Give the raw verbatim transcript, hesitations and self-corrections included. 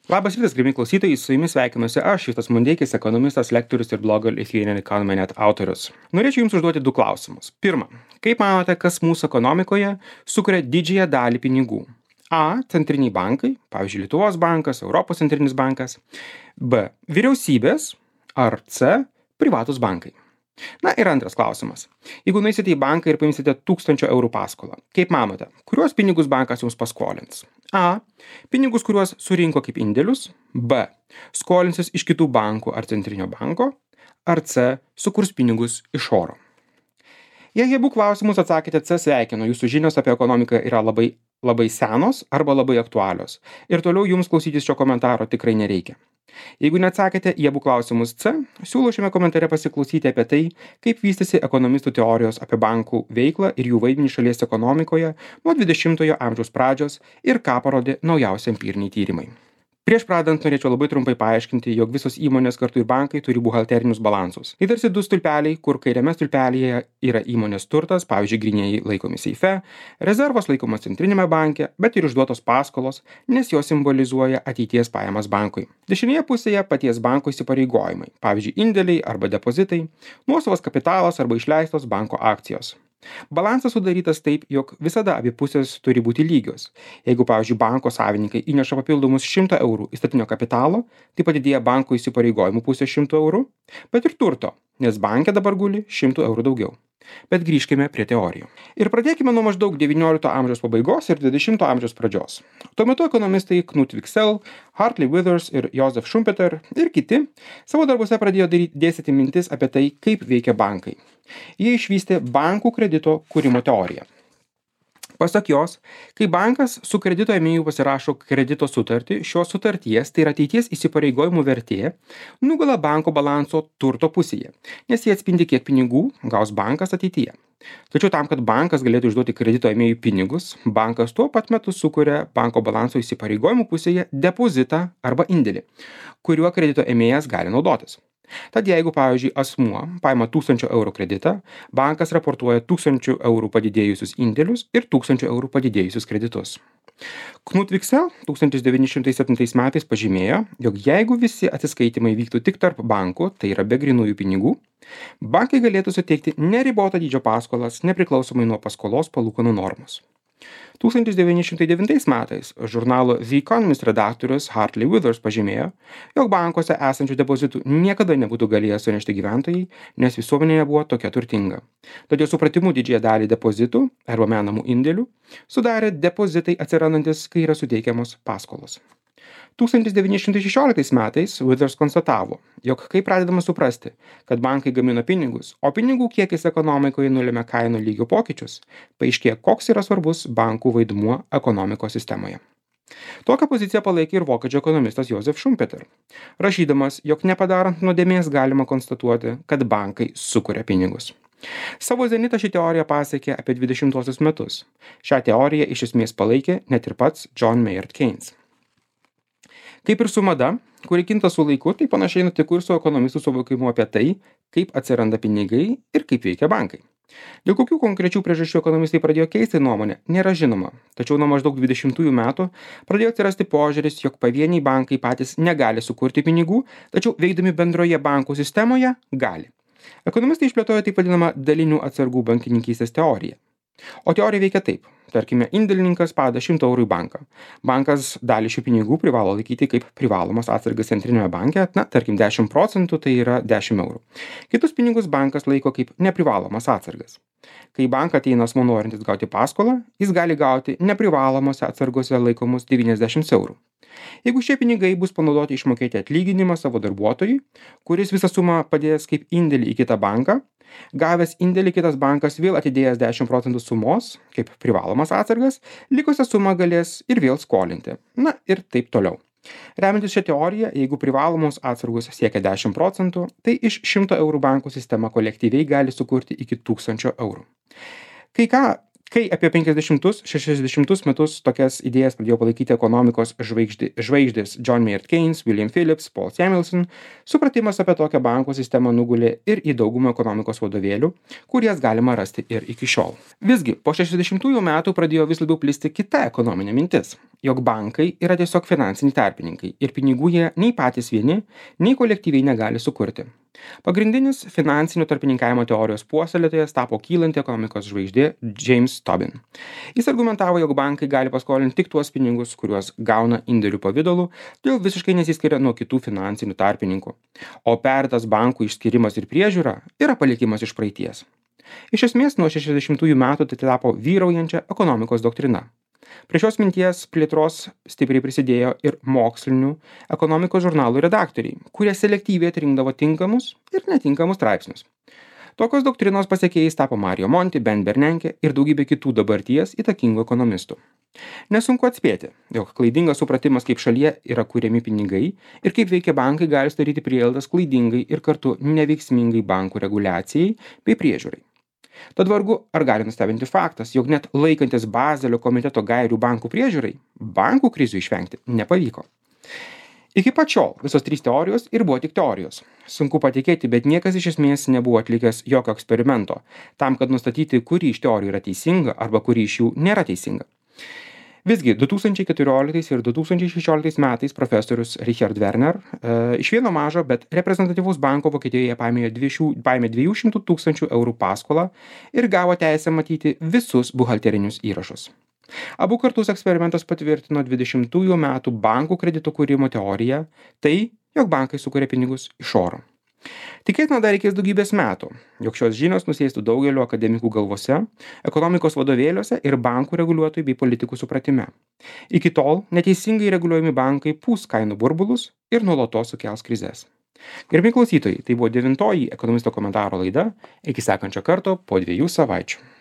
Labas rytas, gerbimi klausytojai, su jumis sveikinuosi aš, Justas Mundeikis, ekonomistas, lektorius ir blogo Lithuanian Economy net autorius. Norėčiau jums užduoti du klausimus. Pirma, kaip manote, kas mūsų ekonomikoje sukuria didžiąją dalį pinigų? A. Centriniai bankai, pavyzdžiui, Lietuvos bankas, Europos centrinis bankas. B. Vyriausybės. Ar C. Privatus bankai. Na ir antras klausimas. Jeigu nueisite į banką ir paimsite tūkstančio eurų paskolą, kaip manote, kuriuos pinigus bankas jums paskolins? A. Pinigus, kuriuos surinko kaip indėlius. B. Skolinsis iš kitų bankų ar centrinio banko. Ar C. Sukurs pinigus iš oro. Jei abu klausimus atsakėte C, sveikinu, jūsų žinios apie ekonomiką yra labai, labai senos arba labai aktualios. Ir toliau jums klausytis šio komentaro tikrai nereikia. Jeigu neatsakėte į abu klausimus C, siūlau šiame komentare pasiklausyti apie tai, kaip vystėsi ekonomistų teorijos apie bankų veiklą ir jų vaidmenį šalies ekonomikoje nuo dvidešimtojo amžiaus pradžios ir ką parodė naujausi empiriniai tyrimai. Prieš pradant norėčiau labai trumpai paaiškinti, jog visos įmonės kartu ir bankai turi buhalterinius balansus. Tai tarsi du stulpeliai, kur kairiame stulpelyje yra įmonės turtas, pavyzdžiui, grynieji laikomi seife, rezervos laikomas centrinėme banke, bet ir išduotos paskolos, nes jos simbolizuoja ateities pajamas bankui. Dešinėje pusėje paties banko įsipareigojimai, pavyzdžiui, indėliai arba depozitai, nuosavas kapitalas arba išleistos banko akcijos. Balansas sudarytas taip, jog visada abi pusės turi būti lygios. Jeigu, pavyzdžiui, banko savininkai įneša papildomus šimtą eurų įstatinio kapitalo, tai padidėja banko įsipareigojimų pusė šimtų eurų, bet ir turto, nes banke dabar guli šimtų eurų daugiau. Bet grįžkime prie teorijų. Ir pradėkime nuo maždaug devyniolikto amžiaus pabaigos ir dvidešimto amžiaus pradžios. Tuo metu ekonomistai Knut Wicksell, Hartley Withers ir Josef Schumpeter ir kiti savo darbuose pradėjo daryti, dėstyti mintis apie tai, kaip veikia bankai. Jie išvystė bankų kredito kūrimo teoriją. Pasak jos, kai bankas su kredito ėmėju pasirašo kredito sutartį, šios sutarties, tai yra ateities įsipareigojimų vertė, nugula banko balanso turto pusėje, nes jie atspindi, kiek pinigų gaus bankas ateityje. Tačiau tam, kad bankas galėtų išduoti kredito ėmėjų pinigus, bankas tuo pat metu sukuria banko balanso įsipareigojimų pusėje depozitą arba indėlį, kuriuo kredito ėmėjas gali naudotis. Tad jeigu, pavyzdžiui, asmuo paima tūkstančio eurų kreditą, bankas raportuoja tūkstančių eurų padidėjusius indėlius ir tūkstančių eurų padidėjusius kreditus. Knut Wicksell tūkstantis devyni šimtai septintais metais pažymėjo, jog jeigu visi atsiskaitimai vyktų tik tarp bankų, tai yra be grynųjų pinigų, bankai galėtų suteikti neribotą dydžio paskolas nepriklausomai nuo paskolos palūkanų normos. tūkstantis devyni šimtai devintais metais žurnalo The Economist redaktorius Hartley Withers pažymėjo, jog bankuose esančių depozitų niekada nebūtų galėję sunešti gyventojai, nes visuomenė buvo tokia turtinga. Todėl supratimu didžiąją dalį depozitų arba menamų indėlių sudarė depozitai atsirandantis, kai yra suteikiamos paskolos. tūkstantis devyni šimtai šešioliktais metais Withers konstatavo, jog kai pradedama suprasti, kad bankai gamina pinigus, o pinigų kiekis ekonomikoje nulėmė kainų lygio pokyčius, paaiškėjo, koks yra svarbus bankų vaidmuo ekonomikos sistemoje. Tokią poziciją palaikė ir vokiečių ekonomistas Josef Schumpeter, rašydamas, jog nepadarant nuodėmės galima konstatuoti, kad bankai sukuria pinigus. Savo zenitą ši teorija pasiekė apie dvidešimtuosius metus. Šią teoriją iš esmės palaikė net ir pats John Maynard Keynes. Kaip ir su mada, kuri kinta su laiku, tai panašiai nutiko ir su ekonomistų suvokimu apie tai, kaip atsiranda pinigai ir kaip veikia bankai. Dėl kokių konkrečių priežasčių ekonomistai pradėjo keisti nuomonę, nėra žinoma, tačiau nuo maždaug dvidešimtųjų metų pradėjo atsirasti požiūris, jog pavieniai bankai patys negali sukurti pinigų, tačiau veikdami bendroje bankų sistemoje gali. Ekonomistai išplėtojo taip vadinamą dalinių atsargų bankininkystės teoriją. O teorija veikia taip. Tarkime, indėlininkas pada šimtą eurų į banką. Bankas dalį šių pinigų privalo laikyti kaip privalomas atsargas centrinėme banke, na, tarkim, dešimt procentų tai yra dešimt eurų. Kitus pinigus bankas laiko kaip neprivalomas atsargas. Kai į banką ateina asmuo norintis gauti paskolą, jis gali gauti neprivalomose atsargose laikomus devyniasdešimt eurų. Jeigu šie pinigai bus panaudoti išmokėti atlyginimą savo darbuotojui, kuris visą sumą padės kaip indėlį į kitą banką, gavęs indėlį kitas bankas vėl atidėjęs dešimt procentų sumos, kaip privalomas atsargas, likusią sumą galės ir vėl skolinti. Na ir taip toliau. Remiantis šią teoriją, jeigu privalomos atsargos siekia dešimt procentų, tai iš šimto eurų bankų sistema kolektyviai gali sukurti iki tūkstančio eurų. Kai ką Kai apie penkiasdešimtus šešiasdešimtus metus tokias idėjas pradėjo palaikyti ekonomikos žvaigždė, žvaigždės John Maynard Keynes, William Phillips, Paul Samuelson, supratimas apie tokią bankų sistemą nugulė ir į daugumą ekonomikos vadovėlių, kurias galima rasti ir iki šiol. Visgi, po šešiasdešimtųjų metų pradėjo vis labiau plisti kita ekonominė mintis, jog bankai yra tiesiog finansiniai tarpininkai ir pinigų jie nei patys vieni, nei kolektyviai negali sukurti. Pagrindinis finansinio tarpininkavimo teorijos puoselėtojas tapo kylanti ekonomikos žvaigždė James Tobin. Jis argumentavo, jog bankai gali paskolinti tik tuos pinigus, kuriuos gauna indėlių pavidalu, todėl visiškai nesiskiria nuo kitų finansinių tarpininkų. O pertas bankų išskirimas ir priežiūra yra palikimas iš praeities. Iš esmės, nuo šešiasdešimtųjų metų tai tapo vyraujančia ekonomikos doktrina. Prie šios minties plėtros stipriai prisidėjo ir mokslinių ekonomikos žurnalų redaktoriai, kurie selektyviai atrinkdavo tinkamus ir netinkamus straipsnius. Tokios doktrinos pasiekėjais tapo Mario Monti, Ben Bernanke ir daugybė kitų dabarties įtakingų ekonomistų. Nesunku atspėti, jog klaidingas supratimas, kaip šalyje yra kuriami pinigai ir kaip veikia bankai, gali sudaryti prielaidas klaidingai ir kartu neveiksmingai bankų reguliacijai bei priežiūrai. Tad vargu, ar gali nustebinti faktas, jog net laikantis Bazelio komiteto gairių bankų priežiūrai, bankų krizių išvengti nepavyko. Iki pat šiol visos trys teorijos ir buvo tik teorijos. Sunku patikėti, bet niekas iš esmės nebuvo atlikęs jokio eksperimento, tam, kad nustatyti, kuri iš teorijų yra teisinga arba kuri iš jų nėra teisinga. Visgi, du tūkstančiai keturioliktais ir du tūkstančiai šešioliktais metais profesorius Richard Werner e, iš vieno mažo, bet reprezentatyvaus banko Vokietijoje paėmė dviejų šimtų tūkstančių eurų paskolą ir gavo teisę matyti visus buhalterinius įrašus. Abu kartus eksperimentas patvirtino dvidešimtųjų metų bankų kredito kūrimo teoriją, tai, jog bankai sukuria pinigus iš oro. Tikėtina dar reikės daugybės metų, jog šios žinios nusėstų daugelio akademikų galvose, ekonomikos vadovėliuose ir bankų reguliuotojų bei politikų supratime. Iki tol neteisingai reguliuojami bankai pūs kainų burbulus ir nuolatos sukels krizes. Gerbiami klausytojai, tai buvo devintoji ekonomisto komentaro laida. Iki sekančio karto po dviejų savaičių.